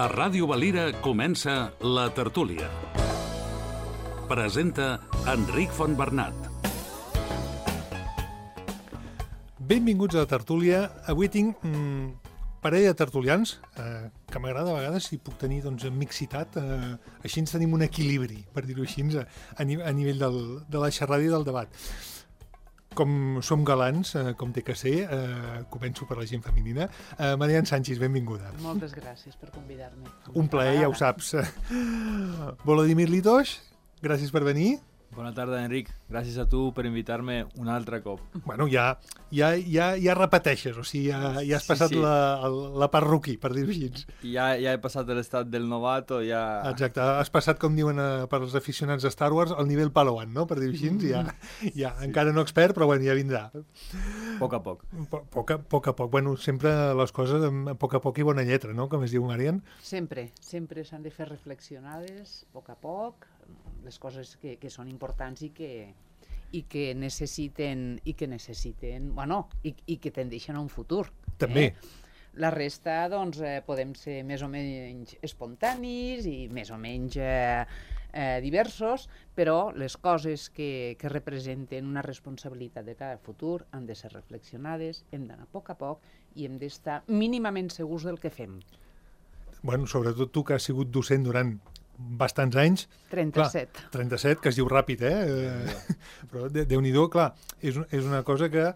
A Ràdio Valira comença La Tertúlia. Presenta Enric Fontbernat. Benvinguts a La Tertúlia. Avui tinc parella de tertulians, que m'agrada a vegades si puc tenir mixitat, així ens tenim un equilibri, per dir-ho així, a nivell de la xerrada i del debat. Com som galants, com té que ser, començo per la gent femenina. Marian Sánchez, benvinguda. Moltes gràcies per convidar-me. Un plaer, ja ho saps. Volodímir Litoš, gràcies per venir. Bona tarda, Enric. Gràcies a tu per invitar-me un altre cop. Bueno, ja repeteixes, o sigui, ja has passat. Sí. La part rookie, per dir-ho així. Ja he passat l'estat del novato, ja... Exacte, has passat, com diuen per als aficionats de Star Wars, el nivell Padawan, no?, per dir-ho així. Ja, sí. Encara no expert, però bueno, ja vindrà. A poc a poc. Poc a poc. Bueno, sempre les coses a poc a poc i bona lletra, no?, com es diu, Marian. Sempre s'han de fer reflexionades, a poc, les coses que són importants i que necessiten, bueno, i que tendeixen a un futur. També. La resta, doncs, podem ser més o menys espontanis i més o menys diversos, però les coses que representen una responsabilitat de cada futur han de ser reflexionades, hem d'anar a poc i hem d'estar mínimament segurs del que fem. Bueno, sobretot tu, que has sigut docent durant bastants anys. 37. Clar, 37, que es diu ràpid, Però Déu-n'hi-do, clar, és una cosa que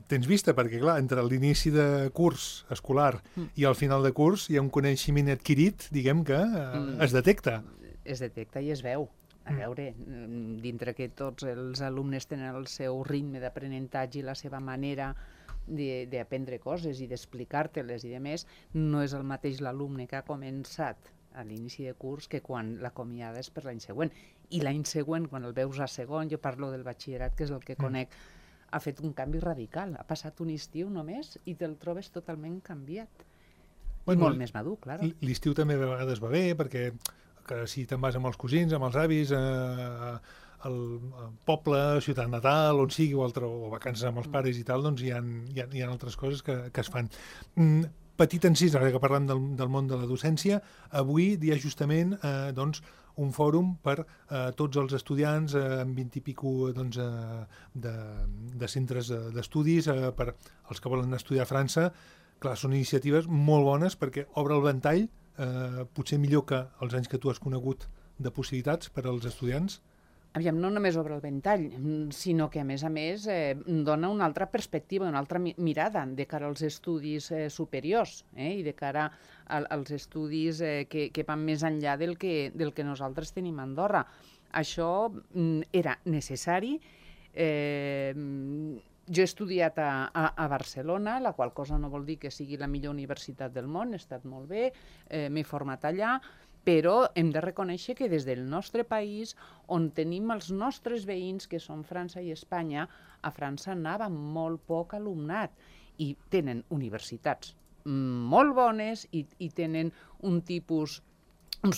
tens vista, perquè, clar, entre l'inici de curs escolar i el final de curs hi ha un coneixement adquirit, diguem, que es detecta. Es detecta i es veu. A veure, dintre que tots els alumnes tenen el seu ritme d'aprenentatge i la seva manera d'aprendre coses i d'explicar-te-les i de més, no és el mateix l'alumne que ha començat a l'inici de curs que quan l'acomiades per l'any següent. I l'any següent, quan el veus a segon, jo parlo del batxillerat, que és el que conec, ha fet un canvi radical. Ha passat un estiu només i te'l trobes totalment canviat. I molt més madur, clar. L'estiu també a vegades va bé, perquè que si te'n vas amb els cosins, amb els avis, al poble, ciutat natal, on sigui, o vacances amb els pares i tal, doncs hi ha altres coses que es fan. Petit encís, ara que parlem del món de la docència, avui dia justament un fòrum per tots els estudiants amb 20 i pico de centres d'estudis, per als que volen estudiar a França. Clar, són iniciatives molt bones perquè obre el ventall, potser millor que els anys que tu has conegut, de possibilitats per als estudiants. Aviam, no només obre el ventall, sinó que, a més, dona una altra perspectiva, una altra mirada de cara als estudis superiors i de cara als estudis que van més enllà del que nosaltres tenim a Andorra. Això era necessari. Jo he estudiat a Barcelona, la qual cosa no vol dir que sigui la millor universitat del món, he estat molt bé, m'he format allà, però hem de reconèixer que des del nostre país, on tenim els nostres veïns, que són França i Espanya, a França anava molt poc alumnat i tenen universitats molt bones i tenen uns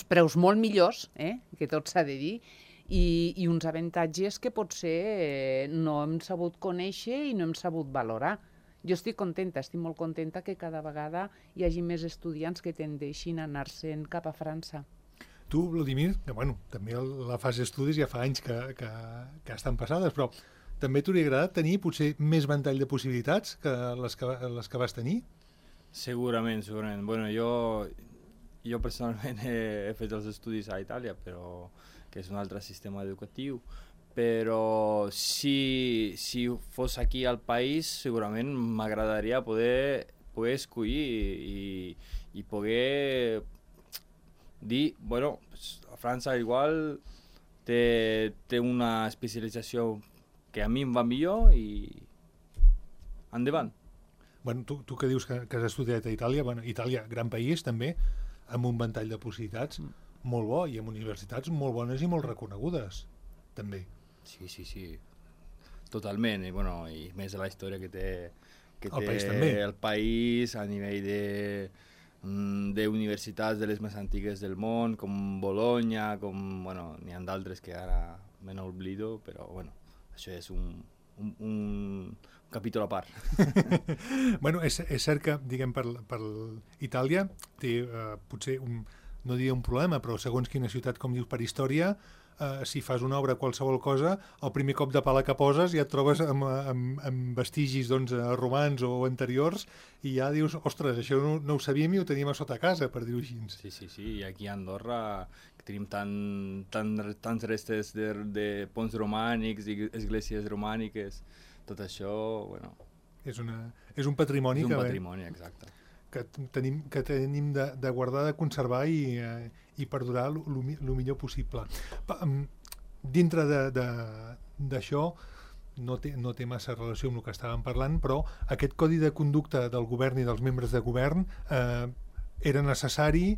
preus molt millors, que tot s'ha de dir, i uns avantatges que potser no hem sabut conèixer i no hem sabut valorar. Jo estic molt contenta que cada vegada hi hagi més estudiants que tendeixin a anar-se'n cap a França. Tu, Volodímir, també la fase d'estudis ja fa anys que estan passades, però també t'hauria agradat tenir potser més ventall de possibilitats que les que vas tenir? Segurament. Bueno, jo personalment he fet els estudis a Itàlia, però que és un altre sistema educatiu. Però si fos aquí al país, segurament m'agradaria poder escollir i poder dir, bueno, a França igual té una especialització que a mi em va millor i endavant. Bueno, tu que dius que has estudiat a Itàlia, Itàlia, gran país també, amb un ventall de possibilitats molt bo i amb universitats molt bones i molt reconegudes, també. Sí, totalment, i més de la història que té el país a nivell d'universitats de les més antigues del món, com Bologna, n'hi ha d'altres que ara me n'oblido, però això és un capítol a part. Bueno, és cert que, diguem, per Itàlia té potser no diria un problema, però segons quina ciutat, com dius, per història, si fas una obra, qualsevol cosa, el primer cop de pala que poses ja et trobes amb vestigis romans o anteriors i ja dius, ostres, això no ho sabíem i ho teníem a sota casa, per dir-ho així. Sí, i aquí a Andorra tenim tants restes de ponts romànics i esglésies romàniques, tot això, bueno... És un patrimoni és un patrimoni, exacte. Que tenim de guardar, de conservar i perdurar el millor possible. Dintre d'això, no té massa relació amb el que estàvem parlant, però aquest codi de conducta del govern i dels membres de govern era necessari,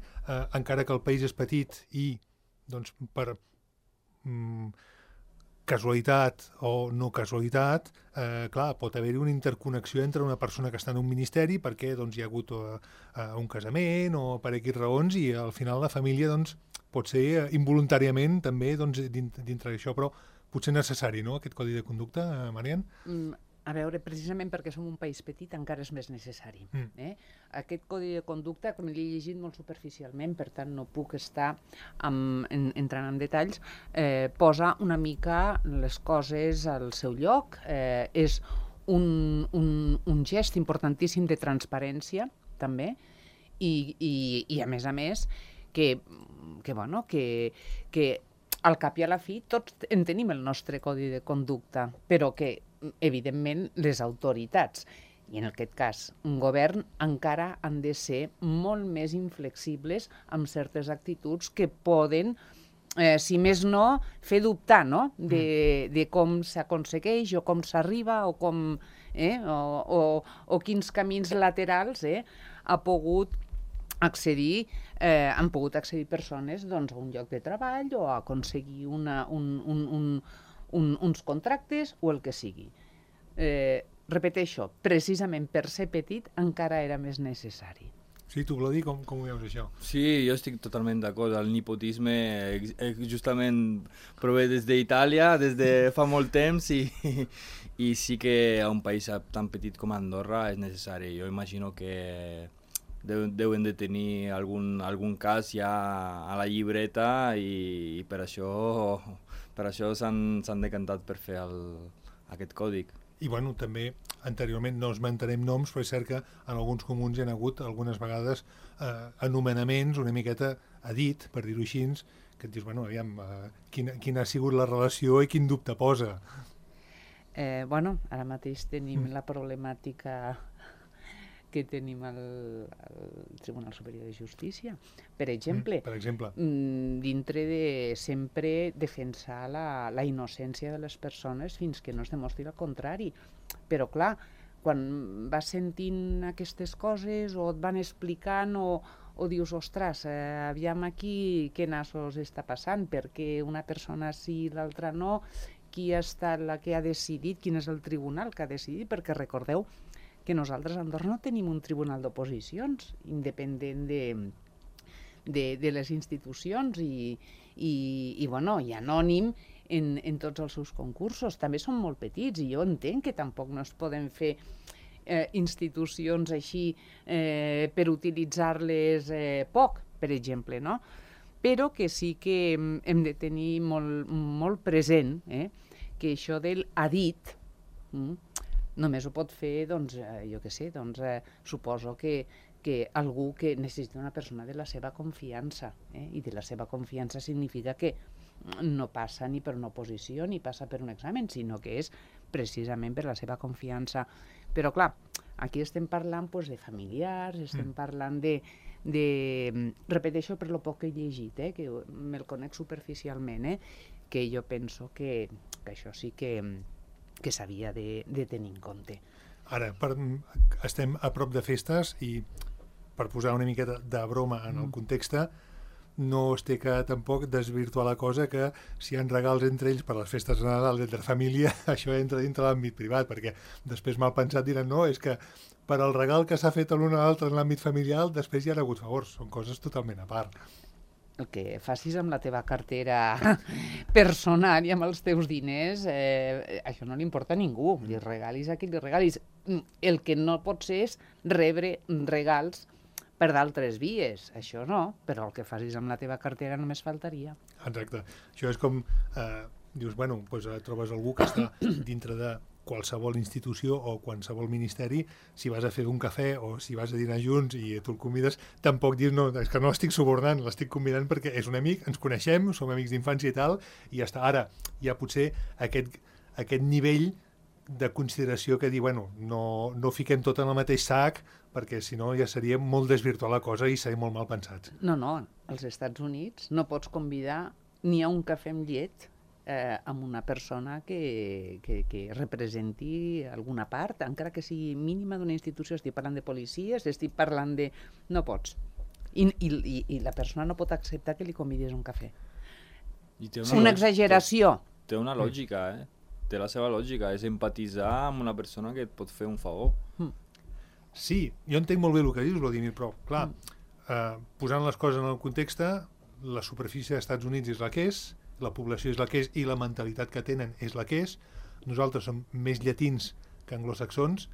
encara que el país és petit i, doncs, per casualitat o no casualitat, clar, pot haver-hi una interconnexió entre una persona que està en un ministeri perquè doncs, hi ha hagut un casament o per X raons i al final la família doncs, pot ser involuntàriament també doncs, dintre d'això, però potser necessari, no?, aquest codi de conducta, Marian? A veure, precisament perquè som un país petit encara és més necessari. Aquest codi de conducta, com l'he llegit molt superficialment, per tant no puc estar entrant en detalls, posa una mica les coses al seu lloc, és un gest importantíssim de transparència, també, i a més, que al cap i a la fi tots en tenim el nostre codi de conducta, però que evidentment les autoritats, i en aquest cas un govern, encara han de ser molt més inflexibles amb certes actituds que poden, si més no, fer dubtar, no?, de com s'aconsegueix o com s'arriba o com o quins camins laterals han pogut accedir persones doncs, a un lloc de treball o a aconseguir uns contractes o el que sigui. Repeteixo, precisament per ser petit encara era més necessari. Sí, tu, Blodi, com ho veus això? Sí, jo estic totalment d'acord. El nepotisme justament prové des d'Itàlia, des de fa molt temps i sí que a un país tan petit com Andorra és necessari. Jo imagino que deuen de tenir algun cas ja a la llibreta i per això s'han decantat per fer aquest còdic. I bueno, també anteriorment no esmentarem noms, però és cert que en alguns comuns hi ha hagut algunes vegades anomenaments una miqueta a dit, per dir-ho així, que et dius, bueno, aviam, quina ha sigut la relació i quin dubte posa. Ara mateix tenim la problemàtica que tenim al Tribunal Superior de Justícia. Per exemple, dintre de sempre defensar la innocència de les persones fins que no es demostri el contrari. Però, clar, quan vas sentint aquestes coses o et van explicant o dius, ostres, aviam aquí què nassos està passant, perquè una persona sí i l'altra no, qui ha estat la que ha decidit, quin és el tribunal que ha decidit, perquè recordeu que nosaltres a Andorra no tenim un tribunal d'oposicions independent de les institucions i anònim en tots els seus concursos. També són molt petits i jo entenc que tampoc no es poden fer institucions així per utilitzar-les poc, per exemple, no? Però que sí que hem de tenir molt present que això del ha dit només ho pot fer, doncs, jo què sé, doncs, suposo que algú que necessita una persona de la seva confiança, i de la seva confiança significa que no passa ni per una oposició ni passa per un examen, sinó que és precisament per la seva confiança. Però clar, aquí estem parlant de familiars, estem parlant repeteixo per lo poc que he llegit, que me'l conec superficialment, que jo penso que això sí que s'havia de tenir en compte. Ara, estem a prop de festes i per posar una miqueta de broma en el context, no es té que tampoc desvirtuar la cosa que si hi ha regals entre ells per les festes de Nadal entre família, això entra dintre l'àmbit privat, perquè després mal pensat diran, no, és que per al regal que s'ha fet l'un a l'altre en l'àmbit familiar després hi ha hagut favors, són coses totalment a part. el que facis amb la teva cartera personal i amb els teus diners, això no li importa a ningú. Li regalis a qui li regalis. El que no pot ser és rebre regals per d'altres vies. Això no, però el que facis amb la teva cartera només faltaria. Exacte. Això és com, dius, bueno, doncs trobes algú que està dintre de qualsevol institució o qualsevol ministeri, si vas a fer un cafè o si vas a dinar junts i tu el convides, tampoc dius, no, és que no l'estic subornant, l'estic convidant perquè és un amic, ens coneixem, som amics d'infància i tal, i ja està. Ara, hi ha potser aquest nivell de consideració que dir, bueno, no fiquem tot en el mateix sac, perquè si no ja seria molt desvirtuar la cosa i seria molt mal pensats. No, als Estats Units no pots convidar ni a un cafè amb llet amb una persona que representi alguna part, encara que sigui mínima d'una institució. Estic parlant de policies, estic parlant de... No pots. I la persona no pot acceptar que li convidis un cafè. Una exageració. Té una lògica, té la seva lògica, és empatitzar amb una persona que et pot fer un favor. Sí, jo entenc molt bé el que dius, Vladimir, però, clar, posant les coses en el context, la superfície dels Estats Units és la que és, la població és la que és i la mentalitat que tenen és la que és. Nosaltres som més llatins que anglosaxons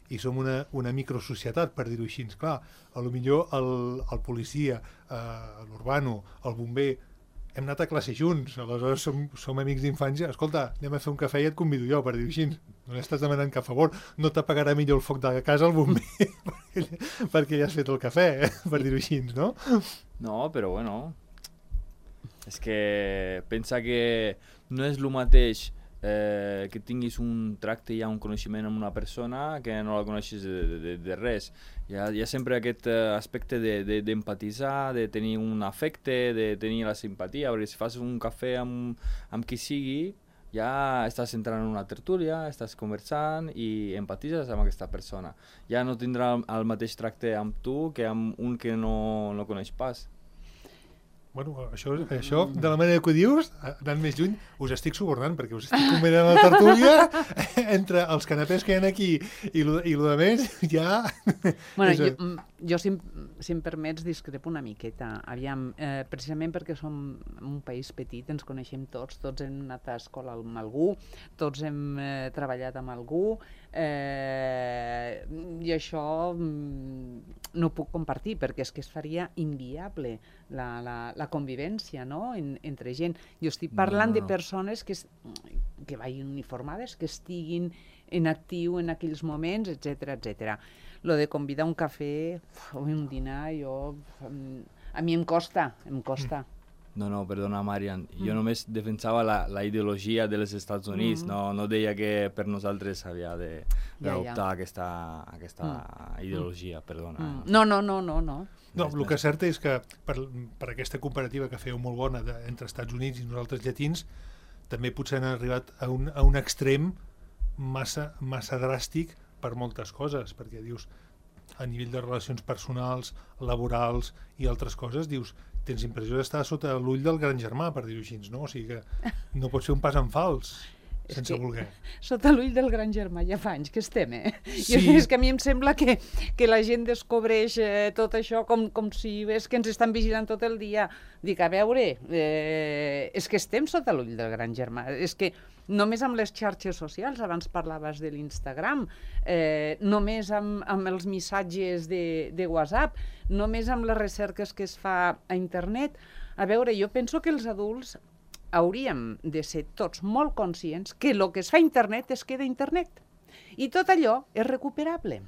i som una microsocietat, per dir-ho així. Clar, potser el policia, l'urbano, el bomber, hem anat a classe junts, aleshores som amics d'infància. Escolta, anem a fer un cafè i et convido jo, per dir-ho així. No estàs demanant cap favor, no t'apagarà millor el foc de casa el bomber perquè ja has fet el cafè, per dir-ho així, no? No, però bueno... És que pensa que no és el mateix que tinguis un tracte i un coneixement amb una persona que no la coneixes de res. Hi ha sempre aquest aspecte d'empatitzar, de tenir un afecte, de tenir la simpatia, perquè si fas un cafè amb qui sigui, ja estàs entrant en una tertúlia, estàs conversant i empatitzes amb aquesta persona. Ja no tindrà el mateix tracte amb tu que amb un que no coneix pas. Bueno, això, de la manera que ho dius, anant més lluny, us estic subornant, perquè us estic convidant a la tertúlia entre els canapés que hi ha aquí i el de més, ja... Bueno, jo si em permets, discrepo una miqueta. Aviam, precisament perquè som un país petit, ens coneixem tots hem anat a escola amb algú, tots hem treballat amb algú, i això no ho puc compartir, perquè és que es faria inviable la convivència, no?, entre gent. Jo estic parlant de persones que vagin uniformades, que estiguin en actiu en aquells moments, etc etc. Lo de convidar un cafè o un dinar, a mi em costa. No, perdona, Marian. Jo només defensava la ideologia dels Estats Units, no deia que per nosaltres s'havia d'adoptar aquesta ideologia, perdona. No. No, el que és cert és que per aquesta comparativa que feu molt bona entre Estats Units i nosaltres llatins, també potser han arribat a un extrem massa dràstic per moltes coses, perquè dius, a nivell de relacions personals, laborals i altres coses, dius, tens impressió d'estar sota l'ull del gran germà, per dir-ho així, no? O sigui que no pot ser un pas en fals, sense voler. Sota l'ull del gran germà ja fa anys que estem, Sí. És que a mi em sembla que la gent descobreix tot això com si és que ens estan vigilant tot el dia. Dic, a veure, és que estem sota l'ull del gran germà. És que només amb les xarxes socials, abans parlaves de l'Instagram, només amb els missatges de WhatsApp, només amb les recerques que es fa a internet. A veure, jo penso que els adults hauríem de ser tots molt conscients que el que es fa a internet es queda a internet. I tot allò és recuperable.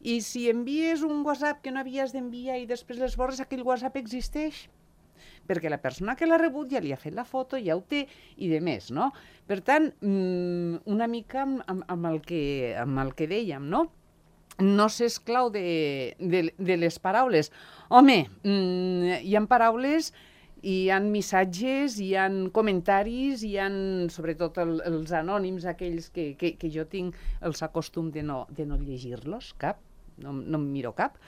I si envies un WhatsApp que no havies d'enviar i després l'esborres, aquell WhatsApp existeix. Perquè la persona que l'ha rebut ja li ha fet la foto, ja ho té, i de més, no? Per tant, una mica amb el que dèiem, no? No s'esclau de les paraules. Home, hi ha paraules, hi ha missatges, hi ha comentaris, hi ha, sobretot els anònims, aquells que jo tinc el acostum de no llegir-los, cap, no em miro cap,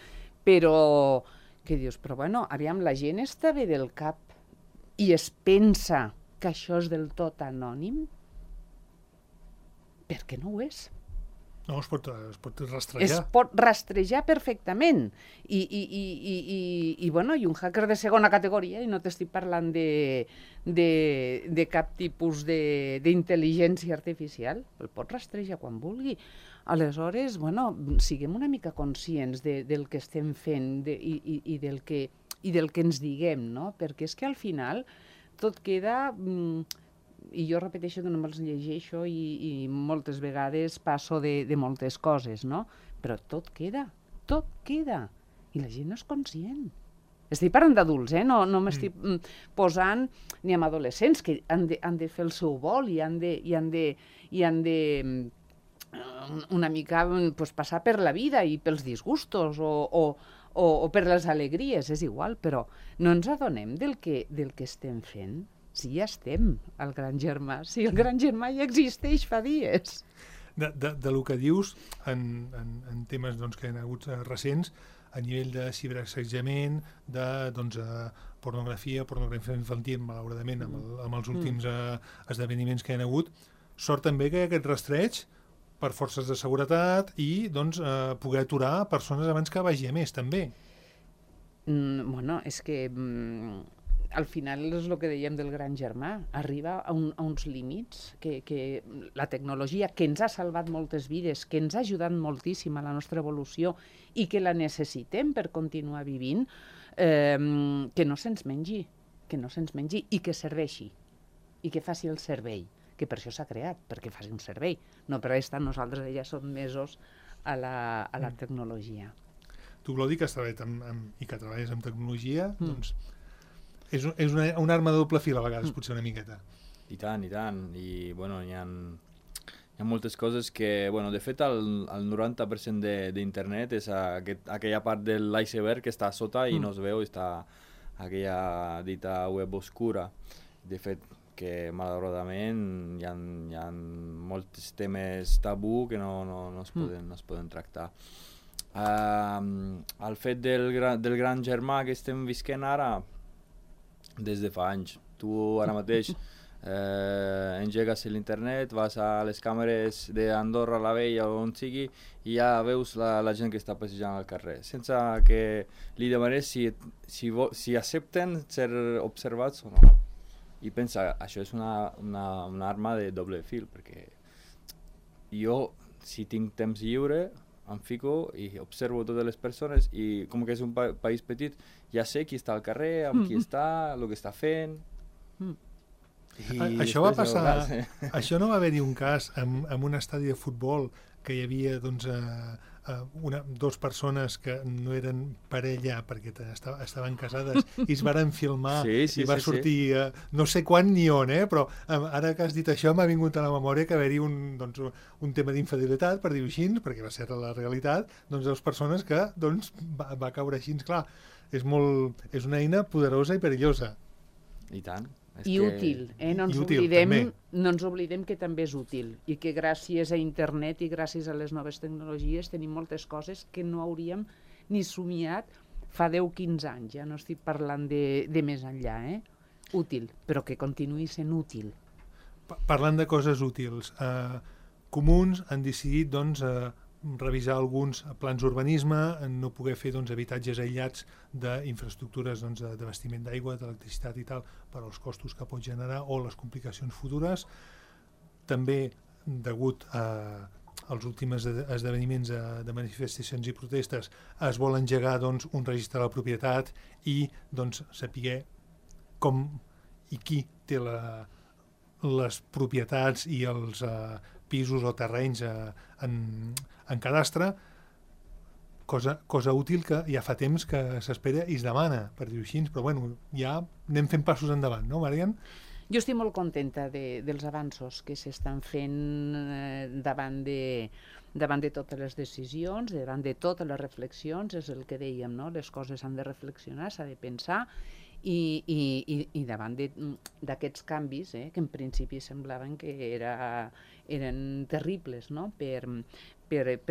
però... que dius, però bueno, aviam, la gent està bé del cap i es pensa que això és del tot anònim? Per què no ho és? No, es pot Es rastrejar. pot rastrejar perfectament. I un hacker de segona categoria, i no t'estic parlant de cap tipus d'intel·ligència artificial, el pot rastrejar quan vulgui. Aleshores, siguem una mica conscients del que estem fent i del que ens diguem, no? Perquè és que al final tot queda... I jo repeteixo que no me'ls llegeixo i moltes vegades passo de moltes coses, no? Però tot queda. I la gent no és conscient. Estic parlant d'adults, no m'estic posant ni amb adolescents que han de fer el seu vol i han de una mica passar per la vida i pels disgustos o per les alegries, és igual, però no ens adonem del que estem fent. Si ja estem al Gran Germà, si el Gran Germà ja existeix fa dies. De lo que dius, en temes que hi ha hagut recents, a nivell de ciberassetjament, de pornografia infantil, malauradament, amb els últims esdeveniments que hi ha hagut, sort també que hi ha aquest rastreig per forces de seguretat i poder aturar persones abans que vagi a més, també. És que... al final és el que dèiem del Gran Germà, arriba a uns límits que la tecnologia, que ens ha salvat moltes vides, que ens ha ajudat moltíssim a la nostra evolució i que la necessitem per continuar vivint, que no se'ns mengi i que serveixi i que faci el servei, que per això s'ha creat, perquè faci un servei, no per estar nosaltres ja sotmesos a la tecnologia. Tu, Glodi, que has treballat i que treballes amb tecnologia, doncs és una arma de doble fil a vegades, potser una miqueta. I tant. I, hi ha moltes coses que, de fet, el 90% d'internet és aquella part de l'iceberg que està a sota i no es veu, està aquella dita web oscura. De fet, que malauradament hi ha molts temes tabú que no es poden tractar. El fet del Gran Germà que estem visquent ara, des de fa anys. Tu ara mateix engegues l'internet, vas a les càmeres d'Andorra la Vella o on sigui i ja veus la gent que està passejant al carrer, sense que li demanes si accepten ser observats o no. I pensa, això és una arma de doble fil, perquè jo, si tinc temps lliure, em fico i observo totes les persones i com que és un país petit ja sé qui està al carrer, amb qui està, el que està fent. Això va passar, això no va haver-hi un cas en un estadi de futbol que hi havia dos persones que no eren parella perquè estaven casades i es varen filmar i va sortir no sé quan ni on, però ara que has dit això m'ha vingut a la memòria que va haver-hi un tema d'infidelitat, per dir-ho així, perquè va ser la realitat, dues persones que va caure així. Clar, és una eina poderosa i perillosa. I tant. I útil, no ens oblidem que també és útil i que gràcies a internet i gràcies a les noves tecnologies tenim moltes coses que no hauríem ni somiat fa 10-15 anys, ja no estic parlant de més enllà, útil, però que continuï sent útil. Parlant de coses útils, comuns han decidit revisar alguns plans d'urbanisme, no poder fer habitatges aïllats d'infraestructures d'abastiment d'aigua, d'electricitat i tal, per als costos que pot generar o les complicacions futures. També, degut als últims esdeveniments de manifestacions i protestes, es vol engegar un registre de la propietat i saber com i qui té les propietats i els pisos o terrenys en cadastre, cosa útil que ja fa temps que s'espera i es demana, per dir-ho així, però ja anem fent passos endavant, no, Marian? Jo estic molt contenta dels avanços que s'estan fent davant de totes les decisions, davant de totes les reflexions, és el que dèiem, no? Les coses s'han de reflexionar, s'ha de pensar, i davant d'aquests canvis, que en principi semblaven que eren terribles, no? per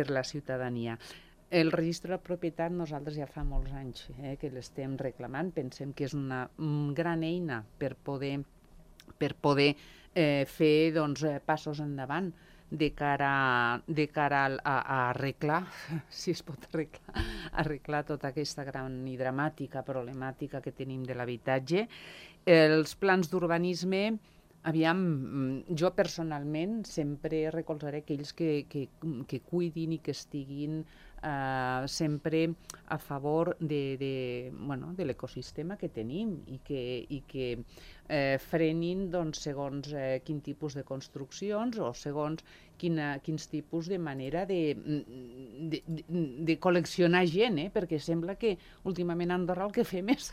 la ciutadania. El registre de propietat nosaltres ja fa molts anys que l'estem reclamant, pensem que és una gran eina per poder fer doncs, passos endavant de cara a arreglar, si es pot arreglar tota aquesta gran i dramàtica problemàtica que tenim de l'habitatge. Els plans d'urbanisme, aviam, jo personalment sempre recolzaré aquells que cuidin i que estiguin sempre a favor de l'ecosistema que tenim i que frenin doncs, segons quin tipus de construccions o segons quins tipus de manera de col·leccionar gent, perquè sembla que últimament a Andorra el que fem és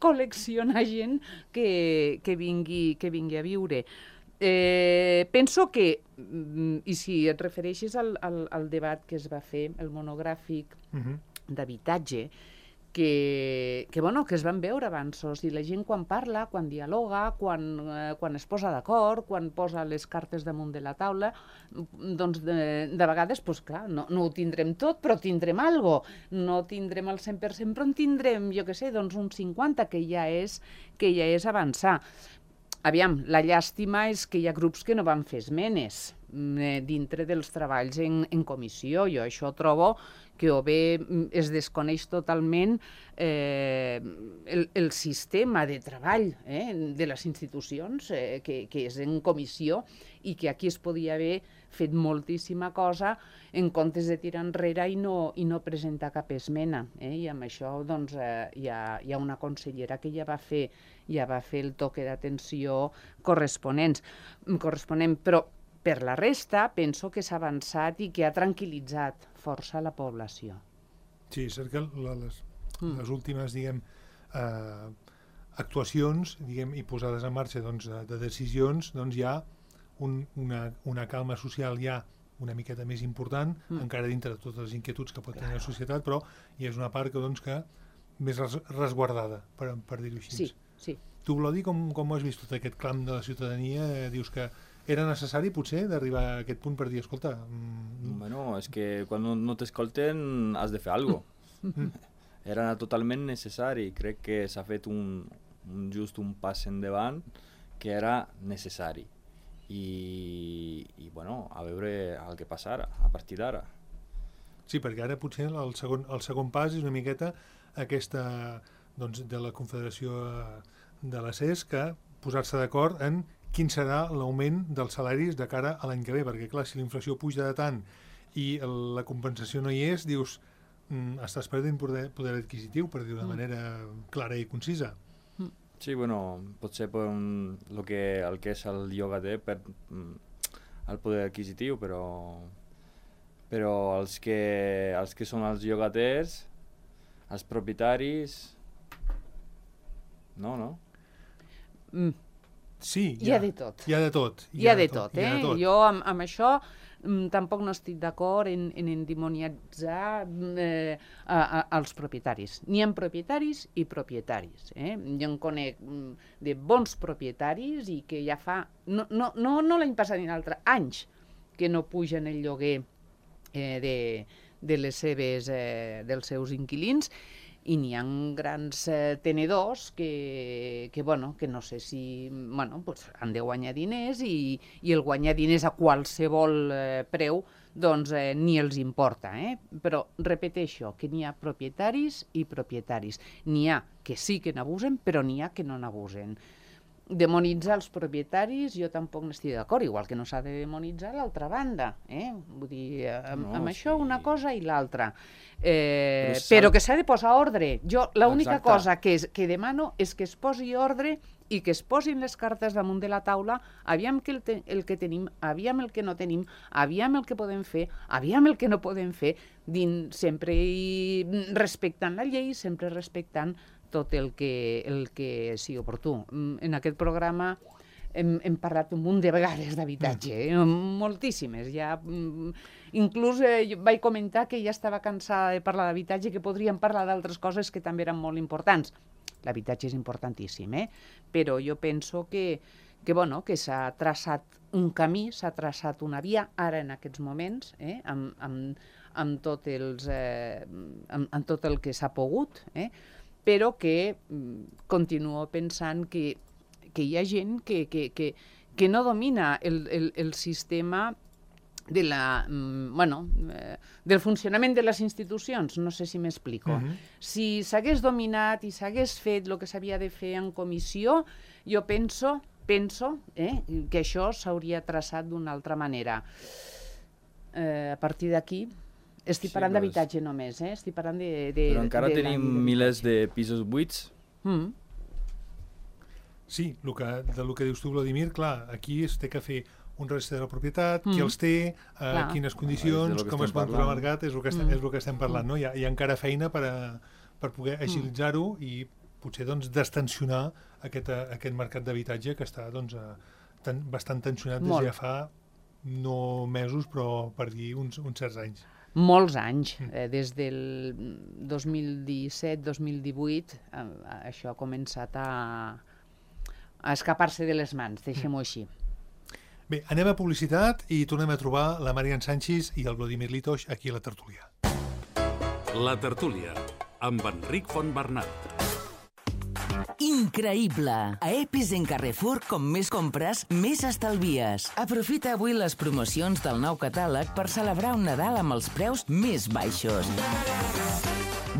col·leccionar gent que vingui a viure. Penso que, i si et refereixes al debat que es va fer, el monogràfic d'habitatge, que es van veure avanços, i la gent quan parla, quan dialoga, quan es posa d'acord, quan posa les cartes damunt de la taula, doncs de vegades, clar, no ho tindrem tot, però tindrem alguna cosa. No tindrem el 100%, però en tindrem, jo què sé, doncs un 50%, que ja és avançar. Aviam, la llàstima és que hi ha grups que no van fer esmenes dintre dels treballs en comissió. Jo això trobo que o bé es desconeix totalment el sistema de treball de les institucions, que és en comissió, i que aquí es podia haver fet moltíssima cosa en comptes de tirar enrere i no presentar cap esmena. I amb això doncs, hi ha una consellera que ja va fer el toque d'atenció corresponent. Però per la resta, penso que s'ha avançat i que ha tranquil·litzat força la població. Sí, és cert que les últimes, actuacions, i posades en marxa de decisions, hi ha una calma social ja una miqueta més important, encara dintre de totes les inquietuds que pot tenir la societat, però hi és una part que més resguardada, per dir-ho així. Sí. Tu, Glodi, com ho has vist tot aquest clam de la ciutadania? Dius que era necessari, potser, d'arribar a aquest punt per dir, escolta... Bueno, és que quan no t'escolten has de fer alguna cosa. Era totalment necessari. Crec que s'ha fet just un pas endavant que era necessari. I bueno, a veure el que passarà a partir d'ara. Sí, perquè ara potser el segon pas és una miqueta aquesta de la Confederació de la CES, que posar-se d'acord en quin serà l'augment dels salaris de cara a l'any que ve, perquè clar, si la inflació puja de tant i la compensació no hi és, dius, estàs perdent poder adquisitiu, per dir-ho de manera clara i concisa. Sí, bueno, potser el que és el llogater per el poder adquisitiu, però els que són els llogaters, els propietaris, no? Sí, hi ha de tot. Hi ha de tot. Jo amb això tampoc no estic d'acord en endimoniatzar els propietaris. N'hi ha propietaris i propietaris. Jo en conec de bons propietaris i que ja fa, no l'any passat ni l'altre, anys que no pugen el lloguer dels seus inquilins, i n'hi ha grans tenedors que no sé si han de guanyar diners i el guanyar diners a qualsevol preu doncs ni els importa. Però repeteixo que n'hi ha propietaris i propietaris. N'hi ha que sí que n'abusen, però n'hi ha que no n'abusen. Demonitzar els propietaris jo tampoc n'estic d'acord, igual que no s'ha de demonitzar l'altra banda. Vull dir, amb això una cosa i l'altra. Però que s'ha de posar ordre. Jo l'única cosa que demano és que es posi ordre i que es posin les cartes damunt de la taula, aviam el que tenim, aviam el que no tenim, aviam el que podem fer, aviam el que no podem fer, sempre respectant la llei, sempre respectant tot el que sigui oportú. En aquest programa hem parlat un munt de vegades d'habitatge, moltíssimes. Inclús vaig comentar que ja estava cansada de parlar d'habitatge, que podríem parlar d'altres coses que també eren molt importants. L'habitatge és importantíssim, però jo penso que s'ha traçat un camí, s'ha traçat una via, ara en aquests moments, amb tot el que s'ha pogut, però que continuo pensant que hi ha gent que que no domina el sistema de del funcionament de les institucions, no sé si m'explico. Si s'hagués dominat i s'hagués fet el que s'havia de fer en comissió, jo penso que això s'hauria traçat d'una altra manera. A partir d'aquí, estic parlant d'habitatge només, estic parlant de... Però encara tenim milers de pisos buits. Sí, del que dius tu, Vladimir, clar, aquí es té que fer un registre de la propietat, qui els té, quines condicions, com es poden posar al mercat, és el que estem parlant. No? Hi ha encara feina per poder agilitzar-ho i potser destensionar aquest mercat d'habitatge que està bastant tensionat des de ja fa no mesos, però per dir uns certs anys. Molts anys. Des del 2017-2018 això ha començat a escapar-se de les mans, deixem-ho així. Bé, anem a publicitat i tornem a trobar la Marian Sanchis i el Vladimir Litosh aquí a la tertúlia. La tertúlia, amb Enric Fontbernat. Increïble! A Epicent Carrefour, com més compres, més estalvies. Aprofita avui les promocions del nou catàleg per celebrar un Nadal amb els preus més baixos.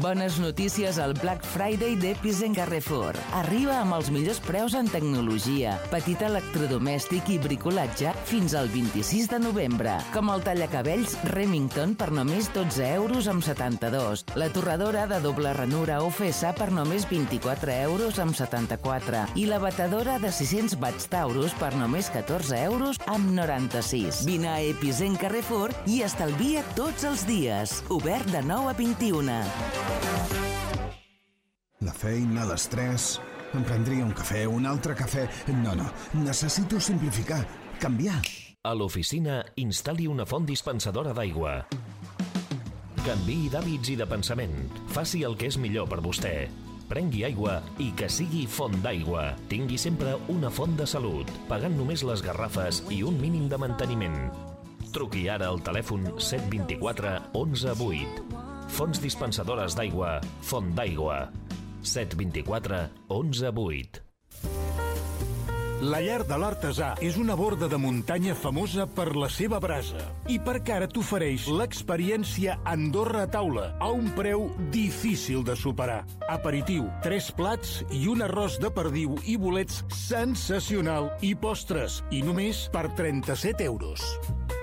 Bones notícies al Black Friday d'Epicent Carrefour. Arriba amb els millors preus en tecnologia, petit electrodomèstic i bricolatge fins al 26 de novembre, com el tallacabells Remington per només 12,72 €, la torradora de doble ranura OFS per només 24,74 € i la batedora de 600 watts Taurus per només 14,96 €. Vine a Epicent Carrefour i estalvia tots els dies. Obert de 9 a 21. La feina, l'estrès... Em prendria un cafè, un altre cafè... No, necessito simplificar, canviar. A l'oficina, instal·li una font dispensadora d'aigua. Canviï d'hàbits i de pensament. Faci el que és millor per vostè. Prengui aigua i que sigui font d'aigua. Tingui sempre una font de salut, pagant només les garrafes i un mínim de manteniment. Truqui ara al telèfon 724 11 8. Fonts dispensadores d'aigua, Font d'Aigua. 724 11 8. La Llar de l'Artesà és una borda de muntanya famosa per la seva brasa i perquè ara t'ofereix l'experiència Andorra a taula a un preu difícil de superar. Aperitiu, 3 plats i un arròs de perdiu i bolets sensacional i postres, i només per 37 €.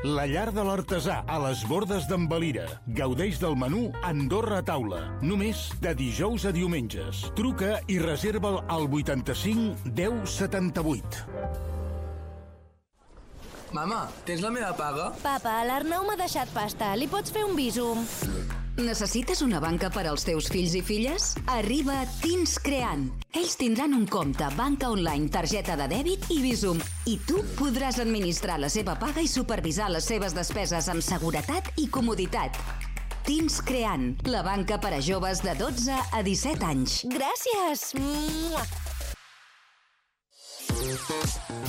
La Llar de l'Artesà, a les Bordes d'en Valira. Gaudeix del menú Andorra a taula, només de dijous a diumenges. Truca i reserva'l al 85 10 78. Mama, tens la meva paga? Papa, l'Arnau m'ha deixat pasta. Li pots fer un bísum? Necessites una banca per als teus fills i filles? Arriba Teens Creant. Ells tindran un compte, banca online, targeta de dèbit i Bizum. I tu podràs administrar la seva paga i supervisar les seves despeses amb seguretat i comoditat. Teens Creant, la banca per a joves de 12 a 17 anys. Gràcies!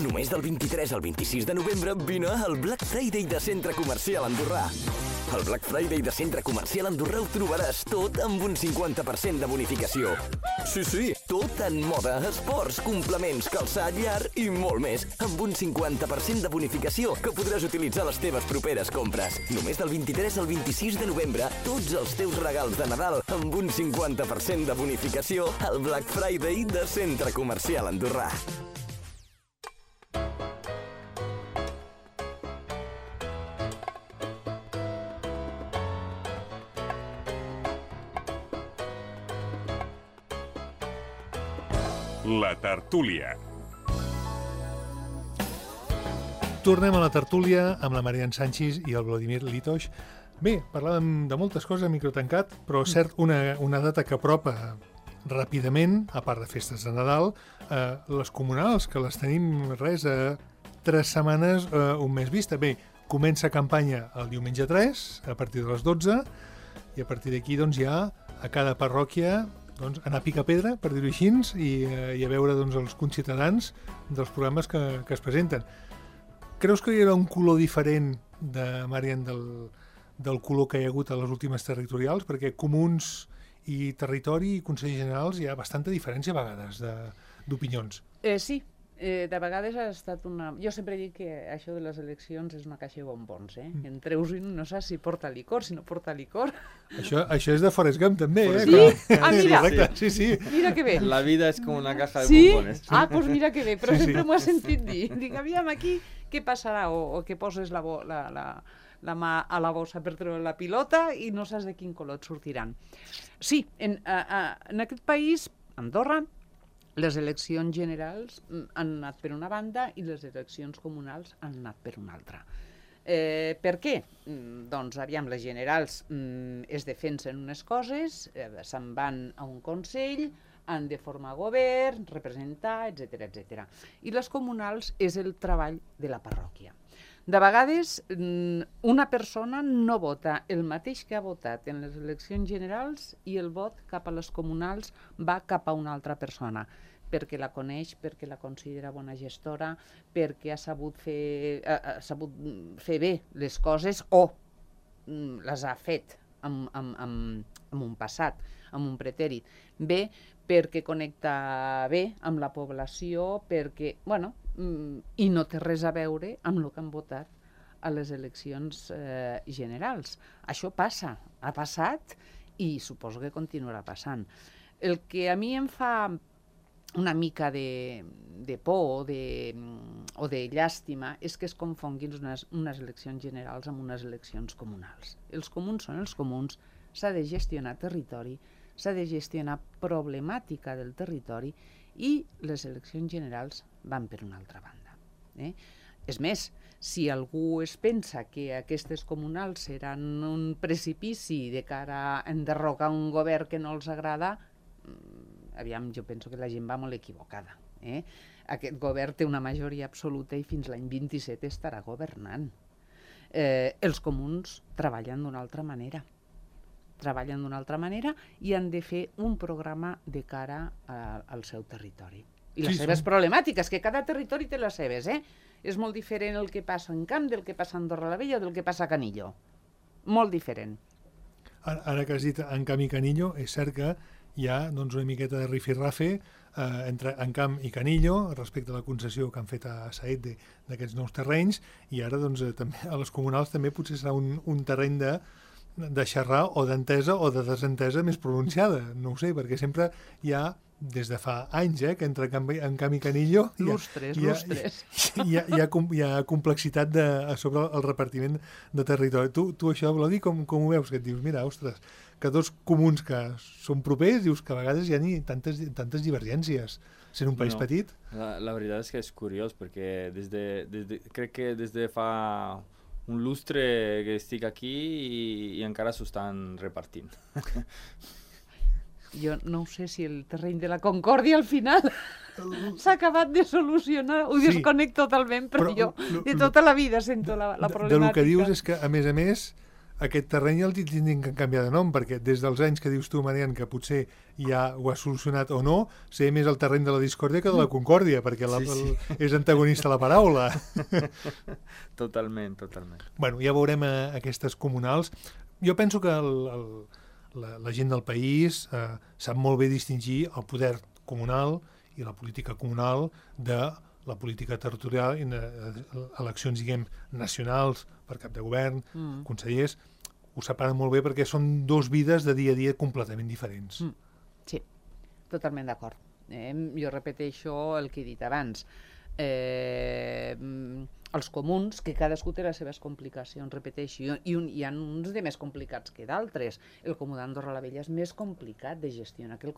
Només del 23 al 26 de novembre vine al Black Friday de Centre Comercial Andorrà. Al Black Friday de Centre Comercial Andorrà ho trobaràs tot amb un 50% de bonificació. Sí, tot en moda, esports, complements, calçat, llar i molt més, amb un 50% de bonificació que podràs utilitzar a les teves properes compres. Només del 23 al 26 de novembre, tots els teus regals de Nadal amb un 50% de bonificació al Black Friday de Centre Comercial Andorrà. La tertúlia. Tornem a la tertúlia amb la Marian Sanchis i el Vladimir Litosh. Bé, parlàvem de moltes coses a microtancat, però cert, una data que apropa ràpidament, a part de festes de Nadal, les comunals, que les tenim res a 3 setmanes, un mes vista. Bé, comença campanya el diumenge 3, a partir de les 12, i a partir d'aquí ja a cada parròquia anar a picar pedra, per dir-ho així, i a veure els conciutadans dels programes que es presenten. Creus que hi haurà un color diferent, Marian, del color que hi ha hagut a les últimes territorials? Perquè comuns i territori i consells generals hi ha bastanta diferència a vegades d'opinions. Sí, de vegades ha estat una... Jo sempre dic que això de les eleccions és una caixa de bombons, En treus i no saps si porta licor, si no porta licor. Això és de Forrest Gump, també, Sí? Ah, mira. Sí, sí. Mira que bé. La vida és com una caja de Sí? bombones. Ah, doncs mira que bé, però sempre m'ho has sentit dir. Dic, aviam, aquí què passarà? O que poses la mà a la bossa per treure la pilota i no saps de quin color et sortiran. Sí, en aquest país, Andorra, les eleccions generals han anat per una banda i les eleccions comunals han anat per una altra. Per què? Doncs, aviam, les generals es defensen unes coses, se'n van a un consell, han de formar govern, representar, etc etc. I les comunals és el treball de la parròquia. De vegades, una persona no vota el mateix que ha votat en les eleccions generals i el vot cap a les comunals va cap a una altra persona, perquè la coneix, perquè la considera bona gestora, perquè ha sabut fer bé les coses o les ha fet amb un passat, amb un pretèrit. Bé, perquè connecta bé amb la població, perquè, bueno, i no té res a veure amb el que han votat a les eleccions generals. Això passa, ha passat i suposo que continuarà passant. El que a mi em fa una mica de por o de llàstima és que es confonguin unes eleccions generals amb unes eleccions comunals. Els comuns són els comuns, s'ha de gestionar territori, s'ha de gestionar problemàtica del territori i les eleccions generals van per una altra banda. És més, si algú es pensa que aquestes comunals seran un precipici de cara a enderrocar un govern que no els agrada, aviam, jo penso que la gent va molt equivocada. Aquest govern té una majoria absoluta i fins l'any 27 estarà governant. Els comuns treballen d'una altra manera. Treballen d'una altra manera i han de fer un programa de cara al seu territori. I les seves problemàtiques, que cada territori té les seves, És molt diferent el que passa en Camp del que passa a Andorra la Vella o del que passa a Canillo. Molt diferent. Ara que has dit en Camp i Canillo, és cert que hi ha una miqueta de rifirrafe entre Encamp i Canillo respecte a la concessió que han fet a Saet d'aquests nous terrenys, i ara també a les comunals també potser serà un terreny de xerrar o d'entesa o de desentesa més pronunciada, no ho sé, perquè sempre hi ha, des de fa anys, que entre Encamp i Canillo lustres. Hi ha complexitat sobre el repartiment de territori. Tu això, Blodi, com ho veus? Que et dius, mira, ostres, que dos comuns que són propers, dius que a vegades hi ha tantes divergències, sent un país petit. La veritat és que és curiós, perquè crec que des de fa un lustre que estic aquí i encara s'ho estan repartint. Jo no sé si el terreny de la concòrdia al final s'ha acabat de solucionar, ho desconec totalment, però jo de tota la vida sento la problemàtica. Del que dius és que, a més, aquest terreny el tindrien que canviar de nom, perquè des dels anys que dius tu, Marian, que potser ja ho has solucionat o no, sé més el terreny de la discòrdia que de la concòrdia, perquè és antagonista la paraula. Totalment. Bueno, ja veurem aquestes comunals. Jo penso que la gent del país sap molt bé distingir el poder comunal i la política comunal de la política territorial i eleccions, diguem, nacionals per cap de govern, consellers, ho separen molt bé perquè són dos vides de dia a dia completament diferents. Sí, totalment d'acord. Jo repeteixo el que he dit abans. Els comuns, que cadascú té les seves complicacions, repeteixo, i hi ha uns de més complicats que d'altres. El comú d'Andorra la Vella és més complicat de gestionar que el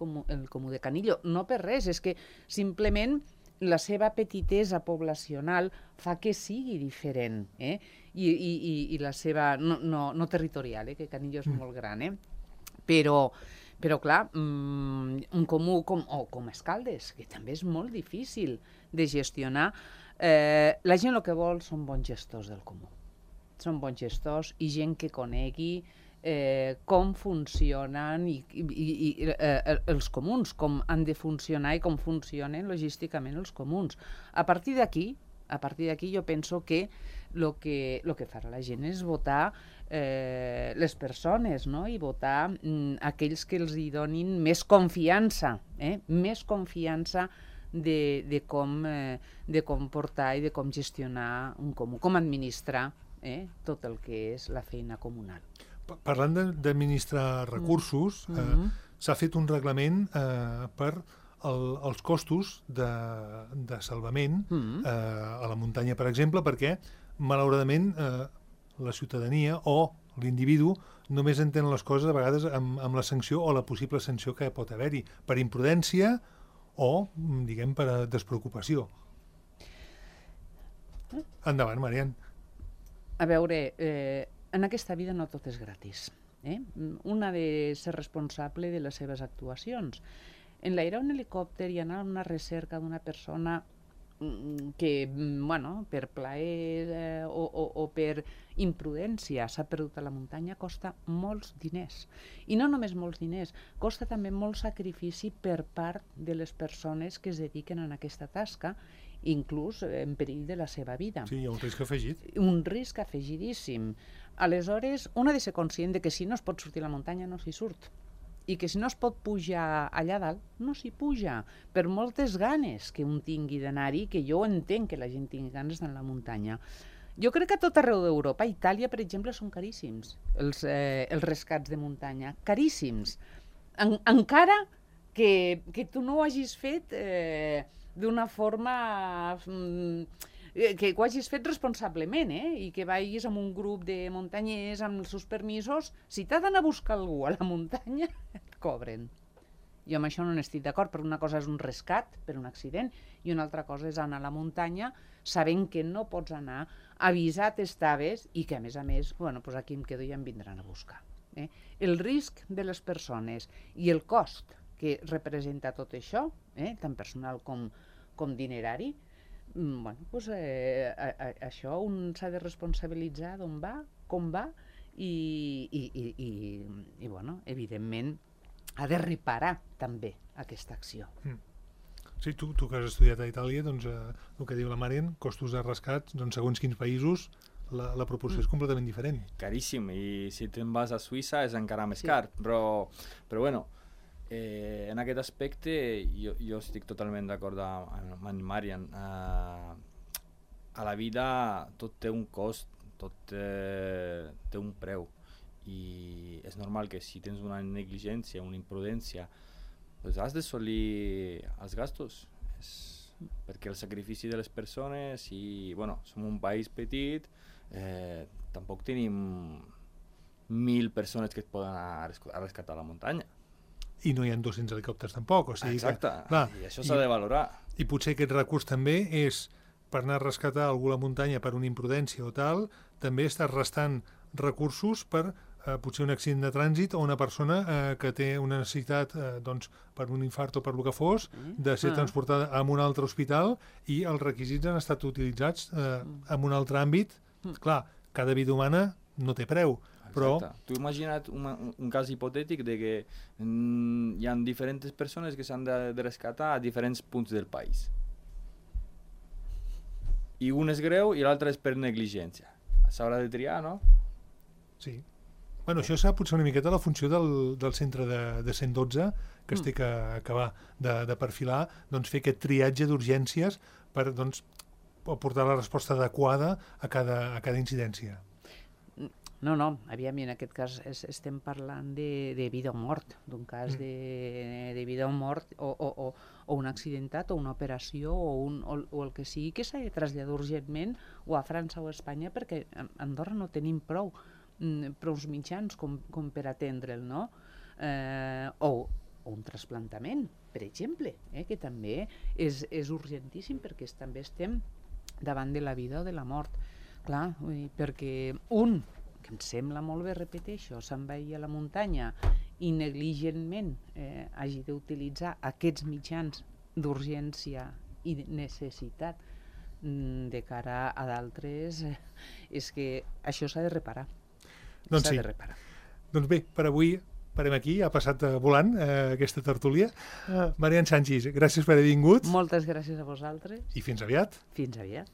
comú de Canillo. No per res, és que simplement la seva petitesa poblacional fa que sigui diferent, i la seva, no territorial, que Canillo és molt gran, però clar, un comú com Escaldes, que també és molt difícil de gestionar. La gent el que vol són bons gestors del comú. Són bons gestors i gent que conegui com funcionen els comuns, com han de funcionar i com funcionen logísticament els comuns. A partir d'aquí jo penso que el que farà la gent és votar les persones, no? I votar aquells que els hi donin més confiança de com portar i de com gestionar un comú, com administrar tot el que és la feina comunal. Parlant d'administrar recursos, s'ha fet un reglament per els costos de salvament a la muntanya, per exemple, perquè, malauradament, la ciutadania o l'individu només entén les coses a vegades amb la sanció o la possible sanció que pot haver-hi, per imprudència o, diguem, per despreocupació. Endavant, Marian. A veure, en aquesta vida no tot és gratis. Un ha de ser responsable de les seves actuacions. En l'aire un helicòpter i anar a una recerca d'una persona que, per plaer o per imprudència s'ha perdut a la muntanya costa molts diners. I no només molts diners, costa també molt sacrifici per part de les persones que es dediquen a aquesta tasca, inclús en perill de la seva vida. Sí, hi ha un risc afegit. Un risc afegidíssim. Aleshores, un ha de ser conscient de que si no es pot sortir a la muntanya no s'hi surt. I que si no es pot pujar allà dalt, no s'hi puja, per moltes ganes que un tingui d'anar-hi, que jo entenc que la gent tingui ganes d'anar a la muntanya. Jo crec que a tot arreu d'Europa, Itàlia, per exemple, són caríssims, els rescats de muntanya, caríssims. Encara que tu no ho hagis fet d'una forma que ho hagis fet responsablement, i que vagis amb un grup de muntanyers amb els seus permisos. Si t'ha d'anar a buscar algú a la muntanya, et cobren. Jo amb això no n'estic d'acord, però una cosa és un rescat per un accident i una altra cosa és anar a la muntanya sabent que no pots anar, avisat estaves i que a més, doncs aquí em quedo i em vindran a buscar. El risc de les persones i el cost que representa tot això, tant personal com dinerari, això un s'ha de responsabilitzar d'on va, com va i evidentment ha de reparar també aquesta acció. Sí, tu que has estudiat a Itàlia, doncs el que diu la Marian, costos de rescat, doncs segons quins països la proporció és completament diferent. Caríssim, i si te'n vas a Suïssa és encara més car, però bueno, en aquest aspecte jo estic totalment d'acord amb en Marian. A la vida tot té un cost, tot té un preu, i és normal que si tens una negligència, una imprudència, doncs has d'assolir els gastos, perquè el sacrifici de les persones, i som un país petit, tampoc tenim 1.000 persones que et poden anar a rescatar a la muntanya. I no hi ha 200 helicòpters tampoc. Exacte, i això s'ha de valorar. I potser aquest recurs també és, per anar a rescatar algú a la muntanya per una imprudència o tal, també estàs restant recursos per potser un accident de trànsit o una persona que té una necessitat per un infart o per el que fos, de ser transportada a un altre hospital, i els requisits han estat utilitzats en un altre àmbit. Clar, cada vida humana no té preu, però... Tu imagina't un cas hipotètic de que hi ha diferents persones que s'han de rescatar a diferents punts del país. I un és greu i l'altre és per negligència. S'haurà de triar, no? Sí. Bueno, això serà potser una miqueta la funció del centre de 112, que es té que acabar de perfilar, doncs fer aquest triatge d'urgències per aportar la resposta adequada a cada incidència. No, aviam, en aquest cas estem parlant de vida o mort, d'un cas de vida o mort, o un accidentat, o una operació, o el que sigui, que s'ha de traslladar urgentment o a França o a Espanya, perquè a Andorra no tenim prou mitjans com per atendre'l, no? O un trasplantament, per exemple, que també és urgentíssim, perquè també estem davant de la vida o de la mort. Clar, perquè que em sembla molt bé, repeteixo, se'n vagi a la muntanya i negligentment hagi d'utilitzar aquests mitjans d'urgència i de necessitat de cara a d'altres, és que això s'ha de reparar. Doncs sí. Doncs bé, per avui parem aquí, ha passat volant aquesta tertúlia. Marian Sanchis, gràcies per haver vingut. Moltes gràcies a vosaltres. I fins aviat. Fins aviat.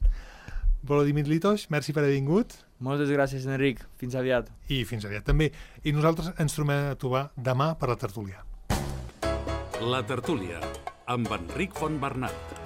Volodímir Litos, merci per haver vingut. Moltes gràcies, Enric. Fins aviat. I fins aviat també. I nosaltres ens tornem a trobar demà per la tertúlia. La tertúlia, amb Enric Fontbernat.